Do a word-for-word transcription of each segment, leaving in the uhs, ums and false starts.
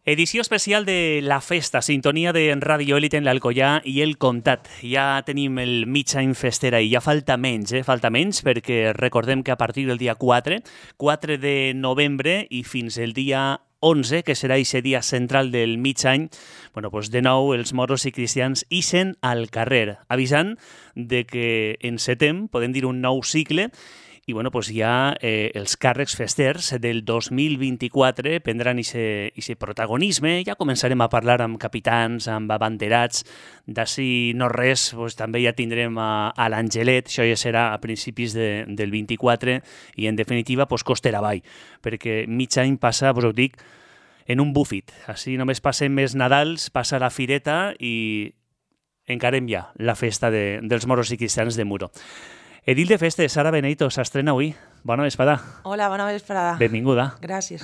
Edició especial de La Festa, sintonia de Ràdio Élite en l'Alcoià i el Comtat. Ja tenim el mig any festera i ja falta menys, eh? Falta menys perquè recordem que a partir del dia quatre, quatre de novembre i fins el dia onze, que serà aquest dia central del mig any, bueno, doncs de nou els moros i cristians ixen al carrer, avisant de que encetem, podem dir, un nou cicle. I bueno, doncs ja eh, els càrrecs festers del dos mil vint-i-quatre prendran aquest protagonisme. Ja començarem a parlar amb capitans, amb abanderats. D'ací no res, doncs, també ja tindrem a, a l'Angelet, això ja serà a principis de, del vint-i-quatre, i en definitiva doncs, costera avall, perquè mig any passa, doncs ho dic, en un bufit. Així només passem més Nadals, passa la fireta i encarem ja la festa de, dels moros i cristians de Muro. Edil de Festes, Sara Benito, s'estrena avui. Bona vesprada. Hola, bona vesprada. Benvinguda. Gràcies.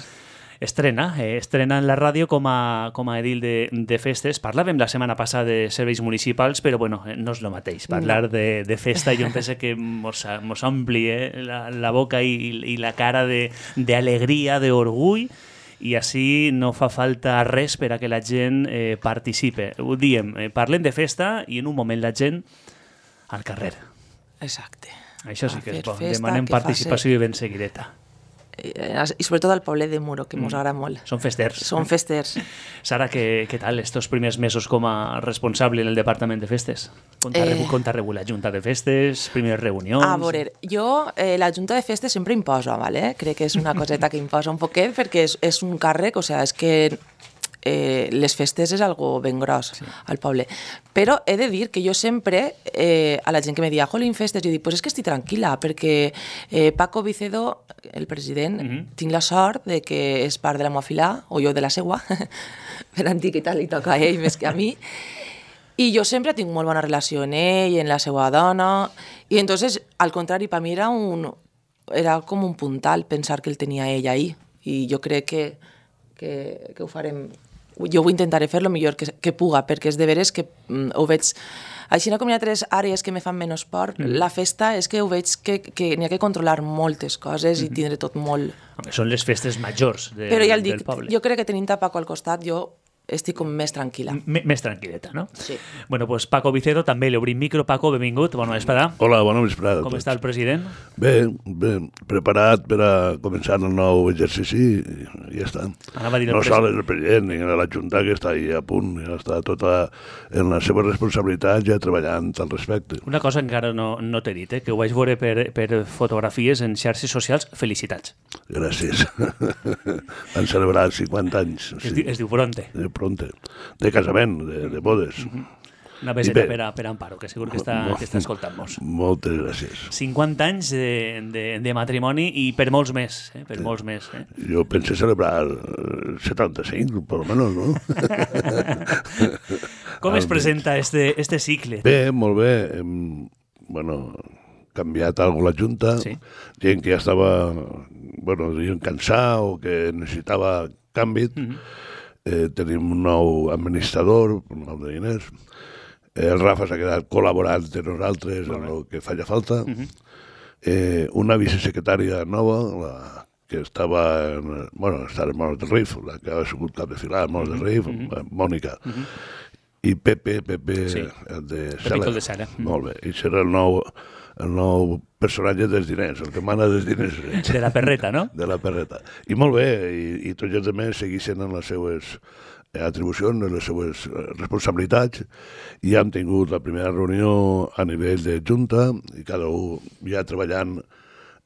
Estrena, eh, estrena en la ràdio com a, com a edil de, de festes. Parlàvem la setmana passada de serveis municipals, però bueno, no és el mateix. Parlar no. de, de festa jo em penso que mos, mos ompli eh, la, la boca i, i la cara d'alegria, d'orgull, i així no fa falta res per a que la gent eh, participe. Ho diem, eh, parlem de festa i en un moment la gent al carrer. Exacte. Això sí que és bo. Demanem participació i ben seguideta. I sobretot al poble de Muro, que ens agrada molt. Són festers. Són festers. Sara, què, què tal estos primers mesos com a responsable en el Departament de Festes? Com t'ha eh... rebut la Junta de Festes, primeres reunions? A veure, jo eh, la Junta de Festes sempre imposo, ¿vale? Crec que és una coseta que imposa un poquet perquè és, és un càrrec, o sigui, és que Eh, les festes és algo ben gros sí. al poble, però he de dir que jo sempre eh, a la gent que me dia jolín festes, jo dic, pues és que estic tranquil·la perquè eh, Paco Vicedo, el president, mm-hmm. tinc la sort de que és part de la meua fila, o jo de la seua per antiguitat li toca a ell més que a mi, i jo sempre tinc molt bona relació amb ell, amb la seva dona, i entonces al contrari, per mi era un era com un puntal pensar que el tenia ell ahí, i jo crec que que, que ho farem. Jo ho intentaré fer el millor que, que puga, perquè és de veres que mm, ho veig... Així com hi ha tres àrees que me fan menys por, mm. la festa és que ho veig que, que n'hi ha que controlar moltes coses mm. i tindre tot molt... Són les festes majors de, Però ja el dic, del poble. Jo crec que tenint a Paco al costat, jo estic com més tranquil·la. M més tranquil·leta, no? Sí. Bueno, pues Paco Vicedo també li obrim micro. Paco, benvingut, bona vesprada. Hola, bona vesprada. Com està el president? Bé, bé, preparat per a començar el nou exercici i ja està. No sol el president, ni la Junta que està ahí a punt, ja està tota en la seva responsabilitat ja treballant al respecte. Una cosa encara no, no t'he dit, eh, que ho vaig veure per, per fotografies en xarxes socials. Felicitats. Gràcies. Han celebrat cinquanta anys. Es, sí. diu, es diu Bronte. Pronte, de casament, de, de bodes. Uh -huh. Una beseta per a, per a Amparo, que segur que està, que està escoltant-nos. Moltes gràcies. cinquanta anys de, de, de matrimoni i per molts més, eh? per sí. molts més. Eh? Jo pensé celebrar setanta-cinc, per almenys, no? Com es presenta este, este cicle? Bé, molt bé. Hem, bueno, canviat alguna la Junta, sí. gent que ja estava, bueno, diuen cansar o que necessitava canvi. Uh -huh. Eh, tenim un nou administrador, un nou de diners. Eh, el Rafa s'ha quedat col·laborant de nosaltres en el que falla falta. Uh-huh. eh, una vicesecretària nova, la que estava en, bueno, estava en Monos de Rif, la que ha sigut cap de filar en Monos uh-huh. de Rif, uh-huh. Mònica. Uh-huh. I Pepe, Pepe, sí. el de Pepito de Sala. Molt bé. I serà el nou, el nou personatge dels diners, el que mana dels diners. De la perreta, no? De la perreta. I molt bé, i, i tots els altres segueixen en les seues atribucions, en les seues responsabilitats, i hem tingut la primera reunió a nivell de Junta, i cada un ja treballant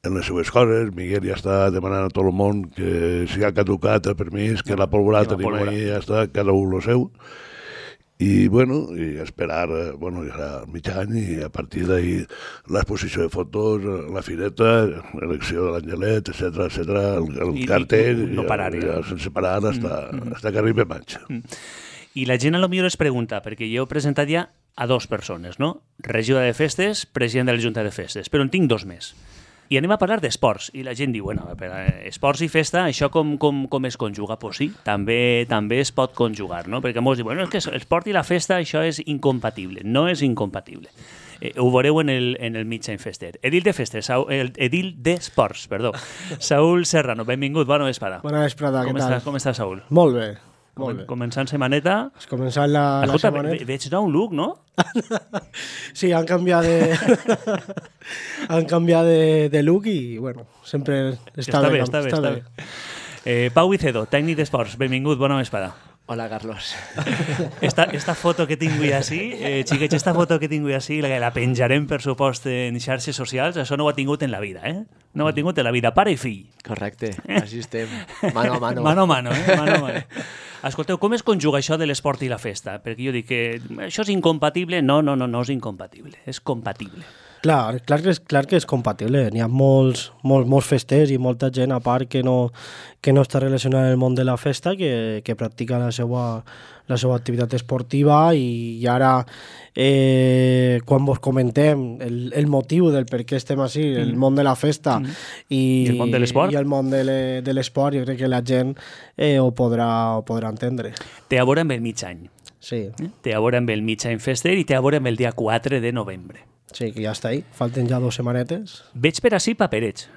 en les seues coses. Miguel ja està demanant a tot el món que si ha caducat el permís, que la pólvora tenim ahí, ja està, cada un el seu. I, bueno, i esperar, bueno, ja serà mig any, i a partir d'ahir l'exposició de fotos, la fireta, l'elecció de l'Angelet, etcètera, etcètera, el, el I, cartell, i no parar, ja, ja sense parar, hasta, mm, hasta que arribi maig. Mm. I la gent a lo millor es pregunta, perquè jo he presentat ja a dos persones, no? Regidora de Festes, president de la Junta de Festes, però en tinc dos més. I anem a parlar d'esports, i la gent diu, bueno, per esports i festa, això com, com, com es conjuga? Pues sí, també, també es pot conjugar, no? Perquè molts diuen, bueno, és que l'esport i la festa, això és incompatible. No és incompatible. Eh, ho veureu en el, en el mig any fester. Edil de Festes, Saúl, el, Edil d'Esports, perdó. Saúl Serrano, benvingut, bona vesprada. Bona vesprada, com què tal? Estàs, com estàs, Saúl? Molt bé. Molt bé. Començant setmaneta... Has començat la, la Escolta, setmaneta. ve- veig nou look, no? Sí, han canviat de... han canviat de, de look i, bueno, sempre està, Està bé. bé, està bé, està bé. Eh, Pau Vicedo, tècnic d'esports, benvingut, bona vesprada. Hola, Carlos. Esta, esta foto que tinc avui així, eh, xiquets, esta foto que tinc avui així, la, la penjarem, per supost, en xarxes socials, això no ho ha tingut en la vida, eh? No ho ha tingut en la vida, pare i fill. Correcte, així estem. Mano a mano. Mano a mano, eh? Mano a mano. Escolteu, com es conjuga això de l'esport i la festa? Perquè jo dic que això és incompatible. No, no, no, no és incompatible, és compatible. Clar, clar, que és, clar que és compatible. N'hi ha molts, molts, molts festers i molta gent a part que no, que no està relacionada amb el món de la festa, que, que practica la seva, la seva activitat esportiva i, i ara, eh, quan vos comentem el, el motiu del per què estem així, mm. el món de la festa mm. i, I el món de l'esport, i el món de, le, de l'esport, jo crec que la gent eh, ho, podrà, ho podrà entendre. Té a veure amb el mig any. Sí. Eh? Té a veure amb el mig any fester i té a veure amb el dia quatre de novembre. Sí, que ja està ahí. Falten ja dues setmanetes. Veig per així paperets.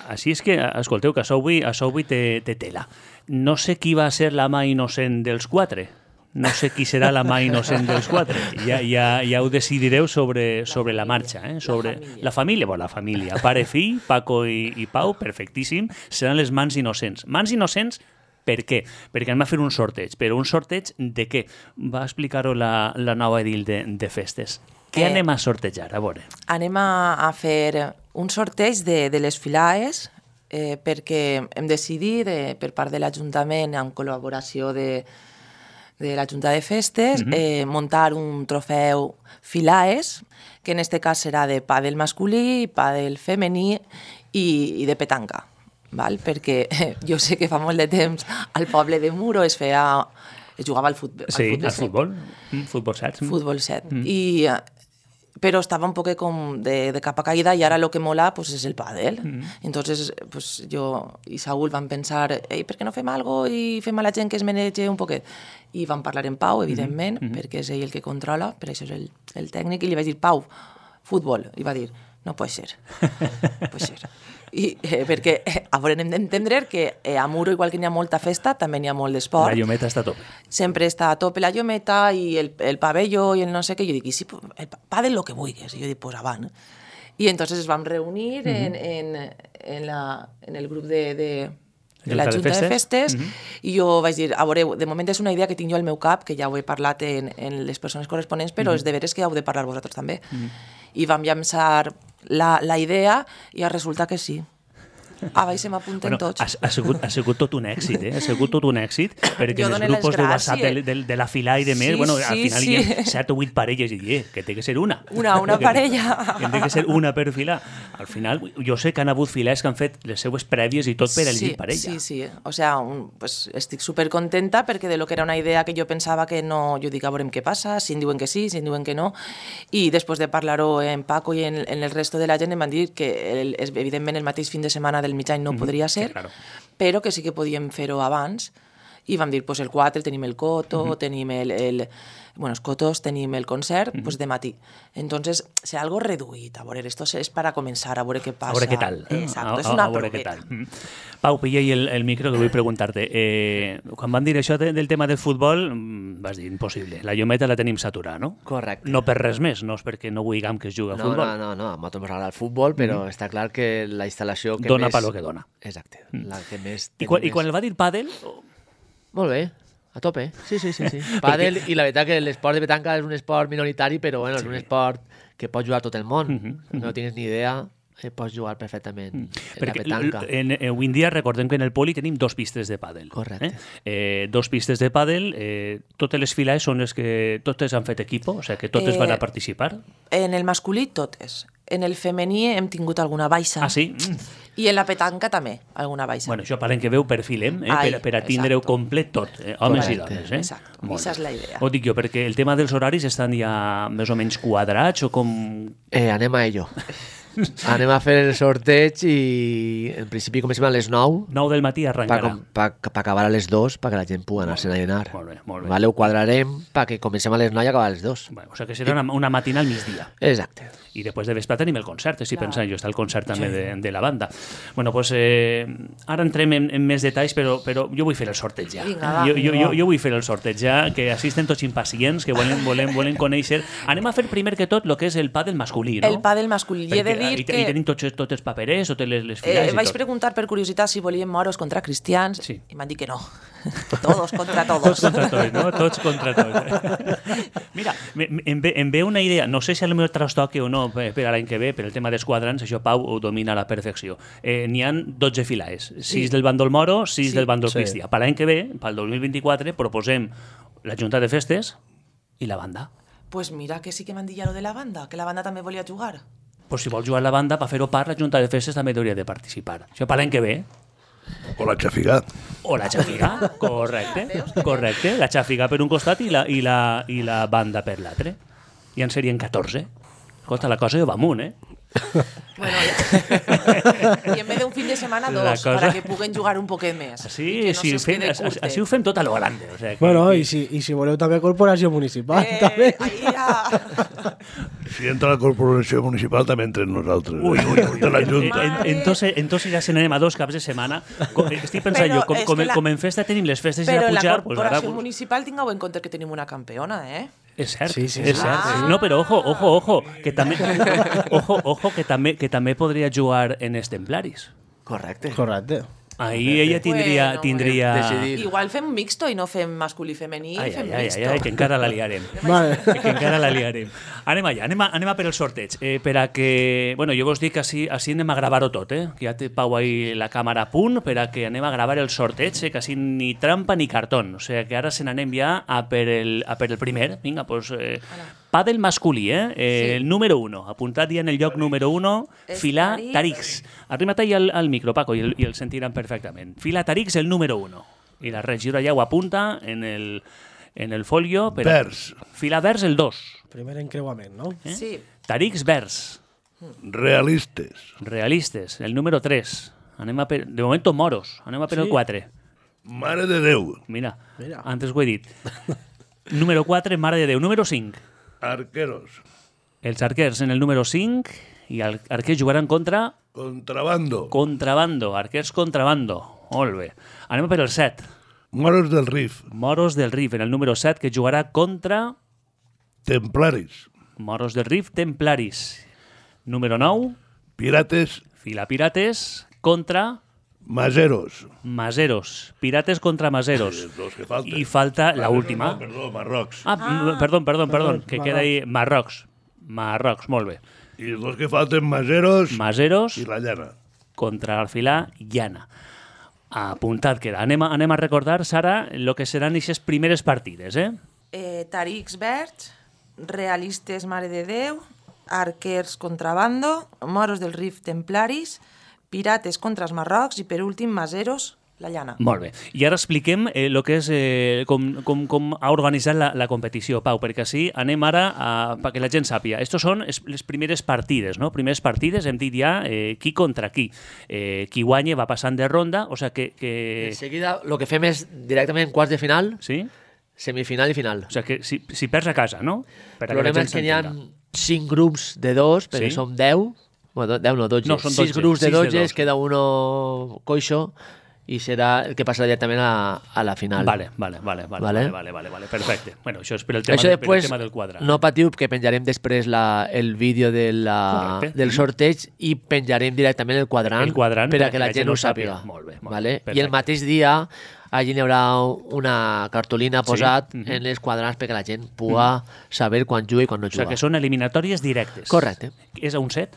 Així és que, escolteu, que això avui, això avui té, té tela. No sé qui va ser la mà innocent dels quatre. No sé qui serà la mà innocent dels quatre. Ja, ja, ja ho decidireu sobre, sobre la marxa. Eh? Sobre la família. La família, bueno, la família. Pare, fill, Paco i, i Pau, perfectíssim. Seran les mans innocents. Mans innocents per què? Perquè anem a fer un sorteig. Però un sorteig de què? Va explicar-ho la, la nova edil de, de festes. Què anem a sortejar? A veure. Anem a, a fer un sorteig de, de les filaes eh, perquè hem decidit, eh, per part de l'Ajuntament, en col·laboració de, de la Junta de Festes, mm-hmm. eh, muntar un trofeu filaes, que en este cas serà de pàdel masculí, pàdel femení i, i de petanca. Val? Perquè eh, jo sé que fa molt de temps al poble de Muro es feia... es jugava al futbol. Sí, al futbol al futbol. Mm, futbol set. Futbol set. Mm. I... pero estaba un poco com de, de capa caída y ahora lo que mola pues es el pádel. Mm. Entonces pues yo y Saúl van pensar, ei, per què no fem algo i fem a la gent que es manege un poquet? I van parlar en Pau, evidentment, mm. perquè és ell el que controla, per això és el, el tècnic, i li vaig dir, Pau, futbol. I va dir, no pot ser. Pot ser. I, eh, perquè eh, ara hem d'entendre que eh, a Muro, igual que n'hi ha molta festa, també n'hi ha molt d'esport. La Llometa està a tope. Sempre està a tope la Llometa i el, el pavelló i el no sé què. Jo dic, i si el pàdel lo que vulguis. I jo dic, pues avant. I entonces ens vam reunir uh-huh. en, en, en, la, en el grup de, de, de la Junta de Festes uh-huh. i jo vaig dir, a veure, de moment és una idea que tinc jo al meu cap, que ja ho he parlat en, en les persones corresponents, però uh-huh. és de veres que heu de parlar vosaltres també. Uh-huh. I vam llançar la, la idea i resulta que sí. Ah, vai, se m'apunten bueno, tots. Ha, ha, sigut, ha sigut tot un èxit, eh? Ha sigut tot un èxit, perquè en els grupos de WhatsApp de, de, de la fila i de més, sí, bueno, al sí, final sí. hi ha set o vuit parelles i dir, que té que ser una. Una, una que, parella. Que té que ser una per filar. Al final, jo sé que han hagut filers que han fet les seues prèvies i tot per elegir sí, parella. Sí, sí. O sea, un, pues, estic supercontenta perquè de lo que era una idea que jo pensava que no... Jo dic, a veurem què passa, si em diuen que sí, si em diuen que no. I després de parlar-ho en Paco i en, en el resto de la gent em van dir que el, evidentment el mateix fin de setmana del mig any no mm-hmm. podria ser, claro. Però que sí que podíem fer-ho abans i vam dir, pues el quatre tenim el coto, uh-huh. tenim el, el, bueno, els cotos, tenim el concert, uh-huh. pues de matí. Entonces, serà algo reduït, a veure, esto és para comenzar, a veure què passa. A veure què tal. Exacto, a, és una a veure què proveta. tal. Mm. Pau, pilla el, el micro que vull preguntar-te. Eh, quan van dir això de, del tema del futbol, vas dir, impossible. La Llometa la tenim saturada, no? Correcte. No per res més, no és perquè no vulguem que es juga a no, futbol. No, no, no, a nosaltres ens agrada el futbol, però mm. està clar que la instal·lació que dona més... Dona per lo que dona. Exacte. Mm. La que més... I quan, més... I quan el va dir pàdel... Molt bé. A tope, sí, sí, sí. sí. Pàdel, i la veritat que l'esport de petanca és un esport minoritari, però bueno, sí. és un esport que pot jugar tot el món. Mm-hmm. No tens ni idea, eh, pots jugar perfectament mm. en Perquè la petanca. En, en, avui en dia recordem que en el poli tenim dos pistes de pàdel. Correcte. Eh? Eh, dos pistes de pàdel, eh, totes les files són les que totes han fet equipo, o sigui que totes eh, van a participar. En el masculí totes. En el femení hem tingut alguna baixa. Ah, sí? I en la petanca també, alguna baixa. Bueno, això parlem que veu perfilem, eh? Ai, per, per a tindre-ho complet tot, eh? homes Correcte. i dones. Eh? Exacte, aquesta és la idea. Ho dic jo, perquè el tema dels horaris estan ja més o menys quadrats o com... Eh, anem a ello. Anem a fer el sorteig i en principi comencem a les nou nou del matí per arrencarà. acabar a les dos perquè la gent pugui anar-se'n a llenar. Molt bé, molt bé. Vale, ho quadrarem perquè comencem a les nou i acabar a les dos. Bueno, o sea que serà una, una matina al migdia. Exacte. I després de vespre tenim el concert, si pensant jo, està el concert també de, de la banda. Bueno, pues, eh, ara entrem en, en més detalls, però, però jo vull fer el sorteig ja. Vinga, va. Jo, jo, jo, jo vull fer el sorteig ja, que assisten tots impacients, que volen, volen, volen conèixer. Anem a fer primer que tot el que és el pàdel masculí, no? El pàdel masculí. I he de dir i, que... I tenim tots, tots els paperers, totes les, les Eh, filades vaig i tot. preguntar per curiositat si volien moros contra cristians Sí. i m'han dit que no. Todos contra Tots todos. contra tots, no? Tots contra tots. Mira, me- me- em ve, em ve una idea, no sé si a lo millor trastoque o no per, per a l'any que ve, per el tema dels quadrants, això Pau ho domina a la perfecció. Eh, N'hi han dotze filades, sis del bàndol moro, sis Sí. del bàndol Sí. cristià. Per l'any que ve, pel dos mil vint-i-quatre, proposem la Junta de Festes i la banda. Pues mira que sí que m'han dit ja lo de la banda, que la banda també volia jugar. Pues si vol jugar la banda, per fer-ho part, la Junta de Festes també hauria de participar. Això per l'any que ve. O la xafigà. O la xafiga, correcte, correcte. La xafiga per un costat i la, i la, i la banda per l'altre. I en serien catorze. Escolta, la cosa ja va amunt, eh? Bueno, ja. I en vez d'un fin de setmana, La dos, cosa- para que puguen jugar un poquet més. Així, I que no sí, se'ls fem, quede així, curtet. així ho fem tot a lo grande. O sea, que, Bueno, i si, i si voleu també corporació municipal, Eh, també. ahí ja... Si entra la corporació municipal, també entrem nosaltres. Ui, ui, ui. De la En- Junta. en- Entonces, entonces ja se n'anem a dos caps de setmana. Co- Estic pensant Però jo, com, és com, que la- com en festa tenim les festes Però ja en la pujar, pues ara... corporació municipal tingueu en compte que tenim una campeona, eh? És cert, Sí, sí, és sí. cert. Ah. No, però ojo, ojo, ojo, que també, ojo, ojo, que també, que també podria jugar en els templaris. Correcte. Correcte. Ahí ella tindria... Bueno, tindria... decidir. Igual fem mixto i no fem masculí i femení, Ai, fem ai, ai, mixto. ai, ai, que encara la liarem. Vale. que encara la liarem. Anem allà, anem a, anem a per el sorteig. Eh, per a que... Bueno, jo vos dic que així, així anem a gravar-ho tot, eh? Que ja té Pau ahí la càmera a punt per a que anem a gravar el sorteig, eh? Que així ni trampa ni cartón. O sigui, que ara se n'anem ja a per el, a per el primer. Vinga, doncs... Eh, pàdel masculí, eh? eh Sí. El número uno. Apuntat ja en el lloc número uno. És Filar Tarix. Tarix. Arrima't ahí al, al micro, Paco, i el, i el sentiran perfectament. Filar Tarix, el número uno. I la regidora ja ho apunta en el, en el folio. Per a- Vers. Filar vers el dos. Primer encreuament, no? Eh? Sí. Tarix vers. Realistes. Realistes, el número tres. Anem a per... De momento moros. Anem a per Sí. el quatre. Mare de Déu. Mira, Mira. antes ho he dit. Número quatre, Mare de Déu. Número cinc. Arqueros. Els arquers en el número cinc i els arquers jugaran contra Contrabando. contrabando. Arquers contrabando. Molt bé. Anem a per el set. Moros del Rif. Moros del Rif en el número set que jugarà contra Templaris. Moros del Rif Templaris. Número nou, Pirates. Fila Pirates contra Maseros. Maseros. Pirates contra Maseros. Els dos que falten. I falta la Maseros última. No, perdó, Marrocs. Ah, ah. perdón, perdón, perdón, que Marrocs. queda ahí Marrocs. Marrocs, molt bé. I els dos que falten, Maseros Maseros i la llana. contra Arfilà Llana. Apuntat queda. Anem a, anem a recordar, Sara, el que seran aquestes primeres partides, eh? Eh, Tarix Verds, Realistes Mare de Déu, Arquers Contrabando, Moros del Rif Templaris, Pirates contra els Marrocs i, per últim, Maseros, la llana. Molt bé. I ara expliquem eh, lo que és, eh, com, com, com ha organitzat la, la competició, Pau, perquè així anem ara a, perquè la gent sàpia. Estos són es, les primeres partides, no? Primeres partides, hem dit ja eh, qui contra qui. Eh, qui guanya va passant de ronda, o sigui que... que... En seguida, el que fem és directament quarts de final, Sí? semifinal i final. O sigui que si, si perds a casa, no? Per a El problema la gent és que n'hi ha s'entenda. cinc grups de dos, perquè Sí. som deu, bueno, deu no, dotze. No, són sis dotze, grups de sis de dotze, dos. queda uno coixo, i serà el que passarà directament a, a la final. Vale, vale, vale, vale, Vale. vale, vale, vale, vale, perfecte. Bueno, això és per el tema, Això de, per el després, tema del quadre. no patiu, que penjarem després la, el vídeo de la, Correcte. del sorteig i penjarem directament el quadrant, El quadrant per a que la gent ho sàpiga. Molt bé, molt vale? bé, I el perfecte. mateix dia allí n'hi haurà una cartolina posat mhm. en els quadrats perquè la gent pugui saber quan juga i quan no O sigui juga. que són eliminatòries directes. Correcte. És a un set?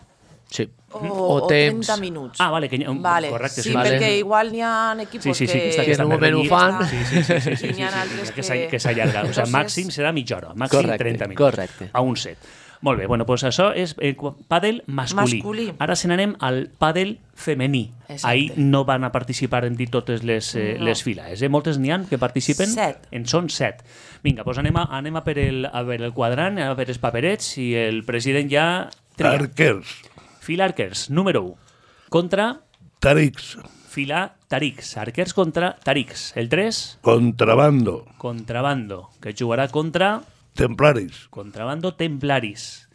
Sí. O, O o temps. trenta minuts. Ah, vale, que hi ha- Vale. correcte, sí, sí. Vale. perquè igual n'hi ha equipos Sí, sí, sí, que està, que... que està en un més moment ho renyit. fan. Sí, sí, sí, sí, sí, I sí, n'hi ha sí, altres que, que- s'all- que s'allarga. O sigui, Entonces- màxim serà mitja hora, màxim Correcte, trenta minuts. correcte. A un set. Molt bé, bueno, doncs això és eh, qu- pàdel masculí. Masculí. Ara se n'anem al pàdel femení. Exacte. Ahir no van a participar en dir totes les, eh, No. les files. Eh? Moltes n'hi ha que participen? Set. En són set. Vinga, doncs anem a, anem a per el, a veure el quadrant, a veure els paperets i el president ja tria. Arquers. Fila arquers, número u. Contra Tarics. fila Tarics. Arquers contra Tarics. El tres, Contrabando. contrabando, que jugarà contra Templaris. contrabando templaris.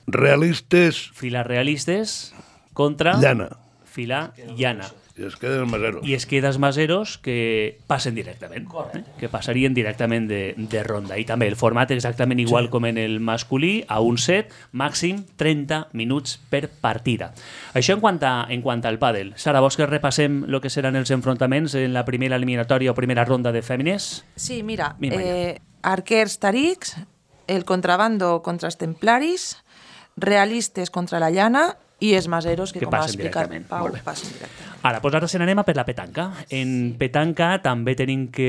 Realistes. Fila realistes contra Llana. fila llana. I es queden els maseros. I es queda els maseros que passen directament, eh? que passarien directament de, de ronda. I també el format exactament igual sí. com en el masculí, a un set, màxim trenta minuts per partida. Això en quant, a, en quant al pàdel. Sara, vols que repassem el que seran els enfrontaments en la primera eliminatòria o primera ronda de fèmines? Sí, mira, Mira, eh, arquers Tarics, el contrabando contra els templaris, realistes contra la llana i els maseros, que, Que com ha passen explicat directament. Pau, Molt bé. passen directament. Ara, doncs ara se n'anem a per la petanca. En petanca també tenim que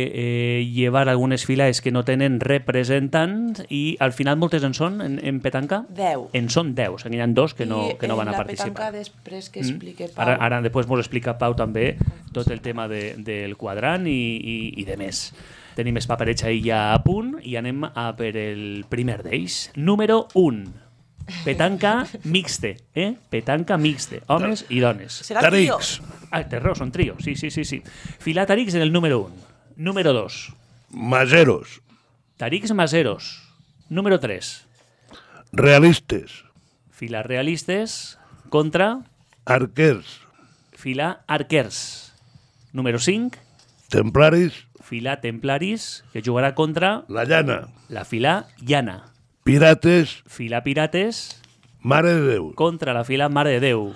eh, llevar algunes files que no tenen representants i al final moltes en són, en, en petanca? Deu. En són deu, n'hi ha dos que no, I que no van a en la participar. petanca després que explique Pau. Ara, ara després ens explica Pau també tot el tema de, del quadrant i, i, i de més. Tenim els paperets ahí ja a punt i anem a per el primer d'ells. Número un. Petanca mixte, eh? Petanca mixte, homes i dones. Serà el trio. Tarics. Ah, té raó, són trio, sí, sí, sí. sí. Filar Tarics en el número un. Número dos. Maseros. Tarics Maseros. Número tres. Realistes. Filar Realistes contra Arquers. Filar Arquers. Número cinc. Templaris. Filar Templaris, que jugarà contra La llana. la Filar Llana. Pirates. Filar Pirates Mare de Déu. contra la Filar Mare de Déu.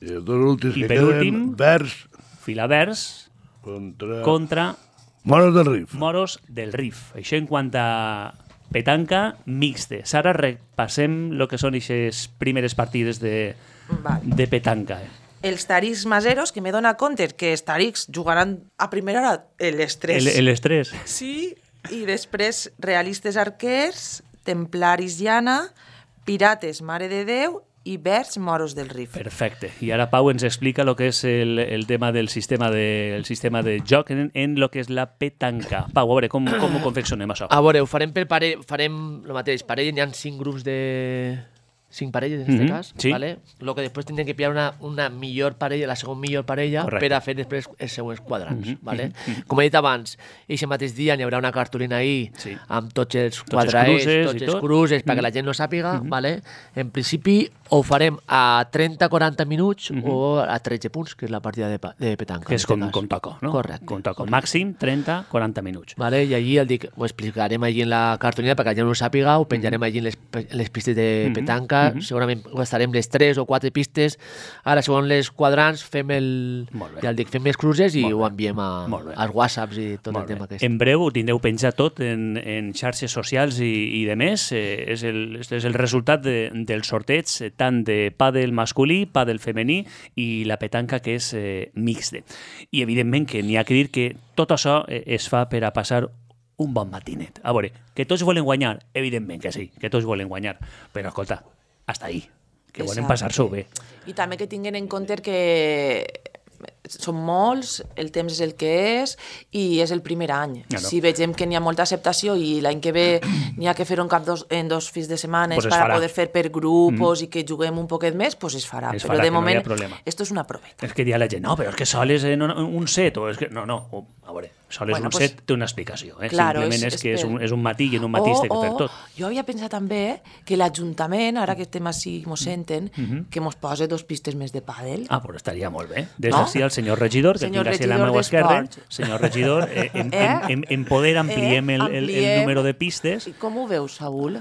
I els dos últims I que per queden, últim- Vers Filar Vers contra... contra Moros del Rif. Moros del Rif. Això en quant a petanca mixte. Sara, repassem el que són aquestes primeres partides de, Vale. de petanca. Eh? Els Tarics maseros, que me dona compte que els Tarics jugaran a primera hora l'estrès. El, el estrès. Sí, i després realistes arquers, templaris llana, pirates Mare de Déu i verds Moros del Rif. Perfecte. I ara Pau ens explica el que és el, el tema del sistema de, el sistema de joc en, en lo que és la petanca. Pau, a veure, com, com ho confeccionem això? A veure, ho farem per parell, farem el mateix. Parell, n'hi ha cinc grups de... cinc parelles, en aquest Mhm, cas. sí. Vale? Lo que després tindrem que pillar una, una millor parella, la segona millor parella, Correcte. per a fer després els següents quadrants. Mhm, Vale? Com he dit abans, aquest mateix dia n'hi haurà una cartolina ahí Sí. amb tots els els quadrats, cruces tots i els tot. cruces, perquè la gent no sàpiga. Vale? En principi ho farem a trenta a quaranta minuts o a tretze punts, que és la partida de, pa- de petanca. Que és en com, este cas. com toca, no? Correcte. Com toca. Màxim trenta a quaranta minuts. Vale, i allí el dic, ho explicarem allí en la cartolina perquè la gent no ho sàpiga, ho penjarem allí en les, pe- en les pistes de petanca, segurament gastarem les tres o quatre pistes, ara segons les quadrants fem el, Molt bé. ja el dic, fem els cruces i Molt bé. ho enviem a, Molt bé. als whatsapps i tot Molt el tema bé. aquest. En breu ho tindreu penjat tot en, en xarxes socials i, i de més. Eh, és, el, és el resultat de, del sorteig eh, tant de pàdel masculí, pàdel femení i la petanca que és eh, mixte. I evidentment que n'hi ha que dir que tot això eh, es fa per a passar un bon matinet. A veure, que tots volen guanyar? Evidentment que sí, que tots volen guanyar. Però escolta, hasta ahí. Que volen Exacte. passar-s'ho bé. I també que tinguin en compte que són molts, el temps és el que és i és el primer any. Ja no. Si vegem que n'hi ha molta acceptació i l'any que ve n'hi ha que fer-ho en cap dos, en dos fins de setmana Pues es per farà. poder fer per grupos mm. i que juguem un poquet més, pues es farà. Es Però farà, de que no hi ha moment, problema. esto és una proveta. És que dia la gent, no, però és que sol és en un, un set, o és que... No, no, o, a veure, sol és Bueno, un pues, set, té una explicació. Eh? claro, Simplement és, és- que és és un, per- és un matí i en un matí es té que fer tot. Jo havia pensat també que l'Ajuntament, ara que estem així, mos senten, que mos posa dos pistes més de pàdel. Ah, però estaria molt bé. Des No? d'ací al senyor regidor, que Senyor tinc així a la regidor meva esquerra. d'Esports. Senyor regidor, eh, en, Eh? en, en, en poder ampliem, el, el, el Ampliem. número de pistes. I com ho veus, Saúl?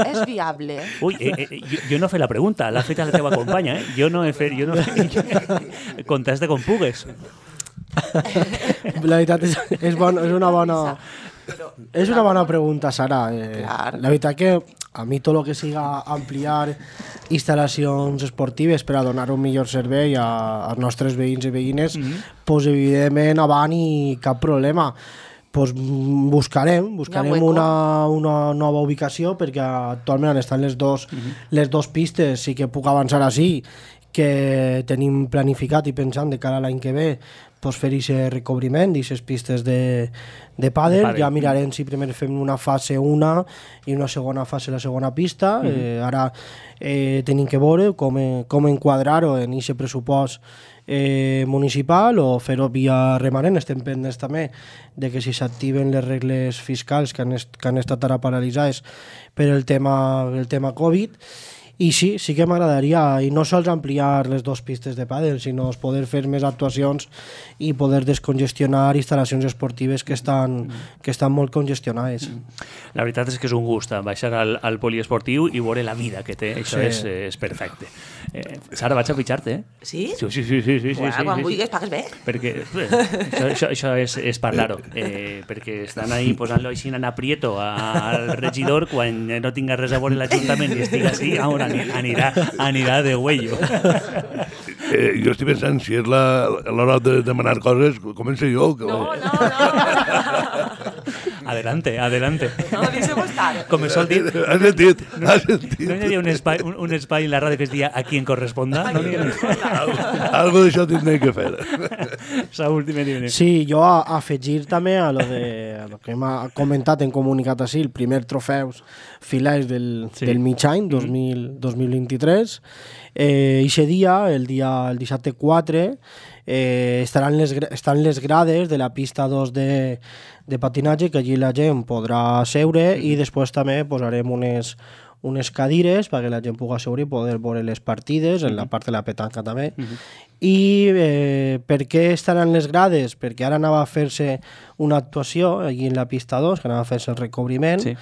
És viable? Ui, eh, eh, jo, jo no he fet la pregunta, l'ha feta la teva companya, eh? Jo no he fet... Jo no he fet... Contesta com pugues. La veritat és, és, bon, és una bona... Però, És una bona pregunta, Sara. Eh, Clar. la veritat que a mi tot el que siga ampliar instal·lacions esportives per a donar un millor servei a, als nostres veïns i veïnes, mm -hmm. pues, evidentment avant i cap problema. Pues, mm, buscarem, buscarem hueco. una, una nova ubicació perquè actualment estan les dos, mm -hmm. les dos pistes, sí que puc avançar així, que tenim planificat i pensant de cara a l'any que ve pues, fer aquest recobriment d'aquestes pistes de, de pàdel. Ja mirarem si primer fem una fase una i una segona fase la segona pista. Mm -hmm. eh, ara eh, tenim que veure com, com enquadrar-ho en aquest pressupost eh, municipal o fer-ho via remanent. Estem pendents també de que si s'activen les regles fiscals que han, est que han estat ara paralitzades per el tema, el tema Covid. I sí, sí que m'agradaria, i no sols ampliar les dues pistes de pàdel, sinó poder fer més actuacions i poder descongestionar instal·lacions esportives que estan, que estan molt congestionades. La veritat és que és un gust baixar al, al poliesportiu i veure la vida que té, això sí. és, és perfecte. Eh, Sara, vaig a pitjar-te, eh? Sí? Sí, sí, sí. sí, sí, Uà, sí quan sí, vulguis, sí. pagues bé. Perquè eh, això, això, això és, és parlar-ho, eh, perquè estan ahí posant-lo així en aprieto al regidor quan no tinga res a veure l'Ajuntament i estigui així, ara anirà, anirà de huello. Eh, jo estic pensant, si és la, l'hora de demanar coses, començo jo. Que... No, no, no. Adelante, adelante. No, deixeu estar. Com es sol dir... Has sentit, has sentit. No hi havia un espai, un, un espai en la ràdio que es deia a qui en corresponda? No n'hi Algo, algo d'això tindrem que fer. Saúl, dime, dime. Sí, jo a, a afegir també a lo, de, a lo que hem comentat en comunicat així, el primer trofeus filers del, sí. del mig any, dos mil, dos mil vint-i-tres. Eh, ixe dia, el dia el dissabte quatre, eh, estaran, les, estan les grades de la pista dos de, de patinatge, que allí la gent podrà seure, i després també posarem unes, unes cadires perquè la gent pugui seure i poder veure les partides, en la part de la petanca també. Uh -huh. I eh, per què estaran les grades? Perquè ara anava a fer-se una actuació allí en la pista dos, que anava a fer-se el recobriment, sí.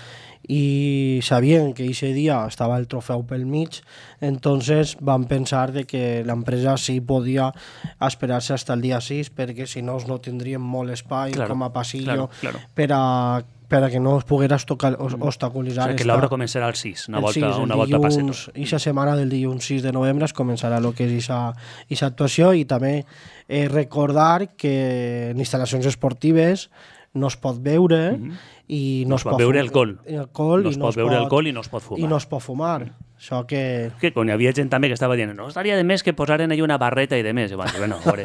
i sabien que aquest dia estava el trofeu pel mig, entonces van pensar de que l'empresa sí podia esperar-se fins el dia sis, perquè si no no tindríem molt espai claro, com a passillo claro, claro. per a per a que no es pogués obstaculitzar. O sigui, que l'obra començarà al sis, una volta, sis, una volta dilluns, passeto. I la setmana del dilluns sis de novembre es començarà el que és aquesta actuació, i també eh, recordar que en instal·lacions esportives no es pot beure mm -hmm. i no, no es pot beure alcohol. alcohol no es i pot no es beure pot, alcohol i no es pot fumar. I no es pot fumar. Això que... Que quan hi havia gent també que estava dient no estaria de més que posaren allà una barreta i de més. Bueno, bueno veure,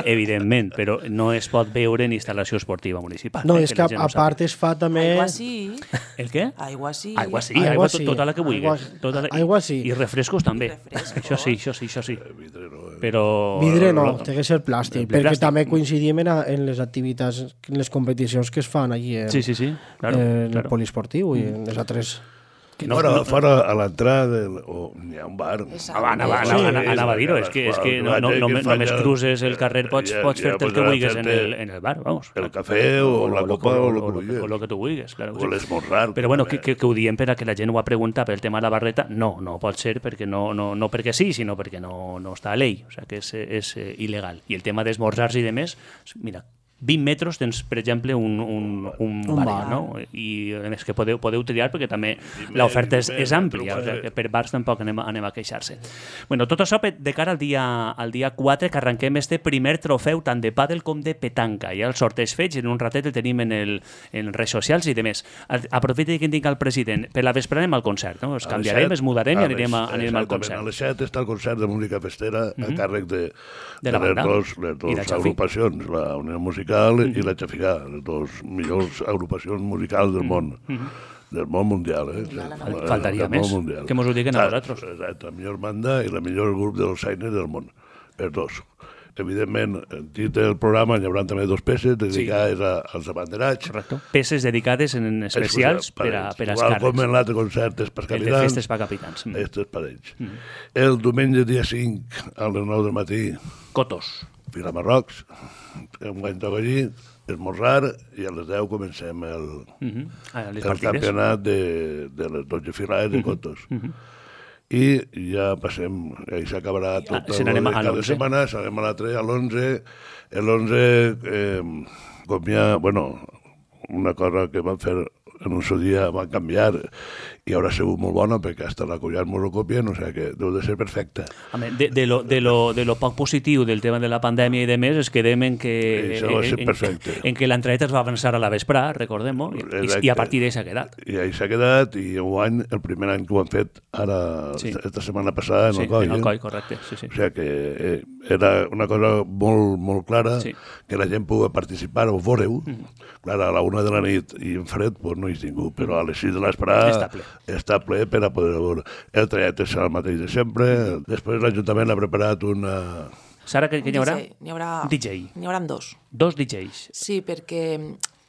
evidentment, però no es pot beure en instal·lació esportiva municipal. No, eh, és que, que a part es fa també... Aigua sí. El què? Aigua sí. Aigua sí, aigua, aigua sí. tota la que vulguis. Aigua, tota la... aigua sí. I refrescos també. I refrescos. Això sí, això sí, això sí. Però... Vidre no, té que ser plàstic, perquè plàstic. També coincidim en, en les activitats, en les competicions que es fan allí en, sí, sí, sí. Claro, en claro. el poliesportiu i en les altres... Que no, fora, no, fora a l'entrada o n'hi ha un bar. Anava, anava, anava, anava a dir-ho, és que, és que no, no, no, només cruces el carrer, pots, pots fer-te el que vulguis en el, en el bar, vamos. El cafè o, o la copa o, o, o, o, o el que tu vulguis. Claro, o l'esmorzar. Però bueno, que, que, que ho diem per a que la gent ho ha preguntat pel tema de la barreta, no, no pot ser perquè no, no, no perquè sí, sinó perquè no, no està a llei, o sigui que és, és eh, il·legal. I el tema d'esmorzars i de més, mira, vint metres tens, per exemple, un, un, un, un bar, bar, no? I a més que podeu, podeu triar perquè també l'oferta és, és àmplia, o sigui, que per bars tampoc anem, anem a queixar-se. Bueno, tot això de cara al dia, al dia quatre, que arrenquem este primer trofeu tant de pàdel com de petanca. Ja el sorteig fets, en un ratet el tenim en, el, en redes socials i de més. Aprofita que tinc el president. Per la vesprada anem al concert, no? Es canviarem, es mudarem i anirem, a, anirem al concert. A les set està el concert de música festera a càrrec de, de, de les dues agrupacions, la Unió Musical Mm-hmm. i la Chafigà, les dues millors agrupacions musicals del món, mm-hmm. del món mundial. Eh? Faltaria més, mundial. Que mos ho diguen a nosaltres. Exacte, la millor banda i la millor grup de dolçaines del món, els dos. Evidentment, dins del programa hi haurà també dos peces dedicades sí. a, als abanderats. Correcte. Peces dedicades en especials per a, per a els càrrecs. Com en l'altre concert és per capitans. El de festes per capitans. Mm. Este és per ells. Mm. El diumenge dia cinc, a les nou del matí, Cotos. Vilamarrocs, un guany toca allí, esmorzar, i a les deu comencem el, uh-huh. ah, el campionat de, de les dotze filades de Cotos. Uh-huh. I ja passem, i s'acabarà tot ah, el de cada setmana, serem a l'altre, a l'onze. L'onze, eh, com hi ha, bueno, una cosa que van fer en el seu dia va canviar i haurà sigut molt bona perquè hasta la collar mos ho copien, o sigui que deu de ser perfecta. Home, de, de, lo, de, lo, de lo poc positiu del tema de la pandèmia i de més és que quedem en que, Això va ser perfecte. en, en que l'entraeta es va avançar a la vesprà, recordem-ho, i, i a partir d'ahí s'ha quedat. I ahí s'ha quedat, i enguany, el primer any que ho han fet, ara, Sí. esta setmana passada, en Sí, el coll. en el eh? coll, correcte. Sí, sí. O sigui que eh, era una cosa molt, molt clara, Sí. que la gent pugui participar o veure-ho. Mm. Clar, a la una de la nit i en fred, pues no hi és ningú, però a les sis de l'esperada Està ple. està ple per a poder veure. El trajecte serà el mateix de sempre. Després l'Ajuntament ha preparat una... Sara, què, què hi haurà? D J. N'hi haurà, D J. N'hi haurà dos. Dos D Js. Sí, perquè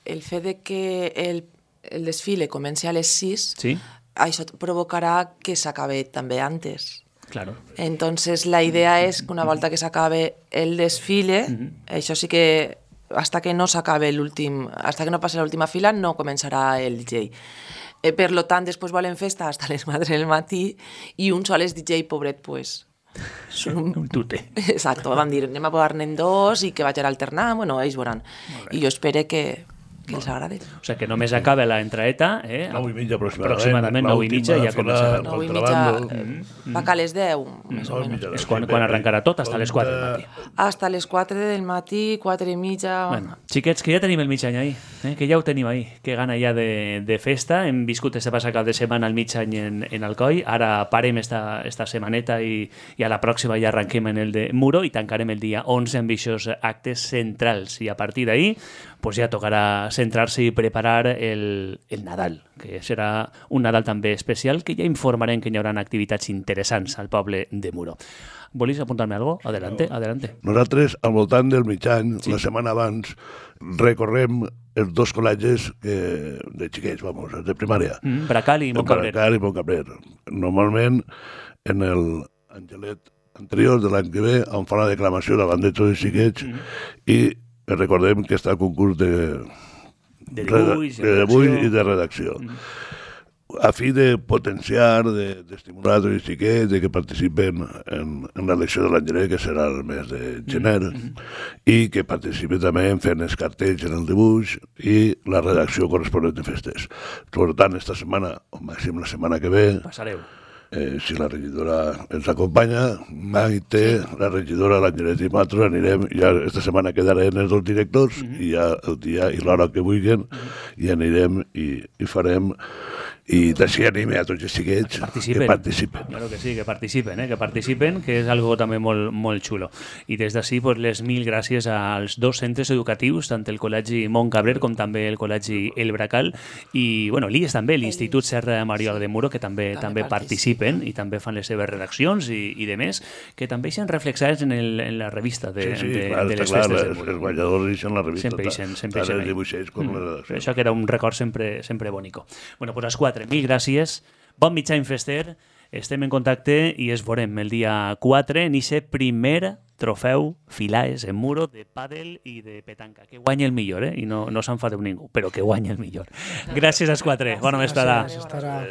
el fet de que el, el desfile comenci a les sis, Sí, això provocarà que s'acabe també antes. claro. Entonces, la idea es que una volta que s'acabe el desfile, això sí que hasta que no s'acabe l'últim, hasta que no passi l'última fila, no començarà el D J. Eh, per lo tant, després volen festa hasta les quatre del matí i un sol és D J, pobret, pues... Són un... Un tute. Exacto, van dir, anem a posar-ne dos i que vagin alternant, bueno, ells veuran. I jo espero que, que els agrade. O sigui que només acaba la entraeta, eh? Nou i mitja aproximadament. Aproximadament nou i mitja ja començarà. Nou i contrabando. mitja, eh, va que a les deu, més o Nou i menys. mitja. És quan, quan arrencarà tot, hasta les quatre del matí. Hasta les quatre del matí, quatre i mitja... Bueno, xiquets, que ja tenim el mig any ahí, eh? Que ja ho tenim ahí, que gana ja de, de festa. Hem viscut este passat cap de setmana el mig any en, en Alcoi, ara parem esta, esta setmaneta i, i a la pròxima ja arranquem en el de Muro i tancarem el dia onze amb aquests actes centrals. I a partir d'ahí pues ja tocarà centrar-se i preparar el, el Nadal, que serà un Nadal també especial, que ja informarem que hi haurà activitats interessants al poble de Muro. Volies apuntar-me algo? Adelante, adelante. Nosaltres, al voltant del mig any, sí. la setmana abans, recorrem els dos col·legis que, de xiquets, vamos, els de primària. Mm, Bracal i Montcabrer. Bracal i Montcabrer. Normalment, en el Angelet anterior de l'any que ve, em fa la declamació davant de tots els xiquets mm. i recordem que està el concurs de, de dibuix, de, de dibuix i de redacció. Mm. A fi de potenciar, d'estimular de, tots els xiquets, de que participen en, en l'elecció de l'Angelet, que serà el mes de gener, mm. i que participen també en fent els cartells en el dibuix i la redacció corresponent de festes. Per tant, esta setmana, o màxim la setmana que ve, passareu. Eh, si la regidora ens acompanya, Maite, la regidora, l'Angelet i nosaltres anirem, ja esta setmana quedarem els dos directors, mm -hmm. i ja el dia i l'hora que vulguin, mm -hmm. i anirem i, i farem, i d'així anime a tots els xiquets que participen. que participen. Claro que sí, que participen, eh? que participen, que és algo també molt, molt xulo. I des d'ací, pues, les mil gràcies als dos centres educatius, tant el Col·legi Montcabrer com també el Col·legi El Bracal, i bueno, l'I E S també, l'Institut Serra Mariola de Muro, que també també, també participen i també fan les seves redaccions i, i de més, que també eixen reflexats en, el, en la revista de, sí, sí, de, clar, de les clar, festes les, de Muro. Els balladors eixen la revista. Sempre eixen, sempre eixen tant els ahí. dibuixers com Mm. la redacció. Això que era un record sempre, sempre bonico. Bueno, pues a les quatre, mil gràcies. Bon mig any fester, estem en contacte i es veurem el dia quatre en aquest primer trofeu Filaes en Muro de pàdel i de petanca. Que guanya el millor, eh? I no, no s'enfadeu ningú, però que guanya el millor. Gràcies als quatre. Bona vesprada. Gràcies, estarà...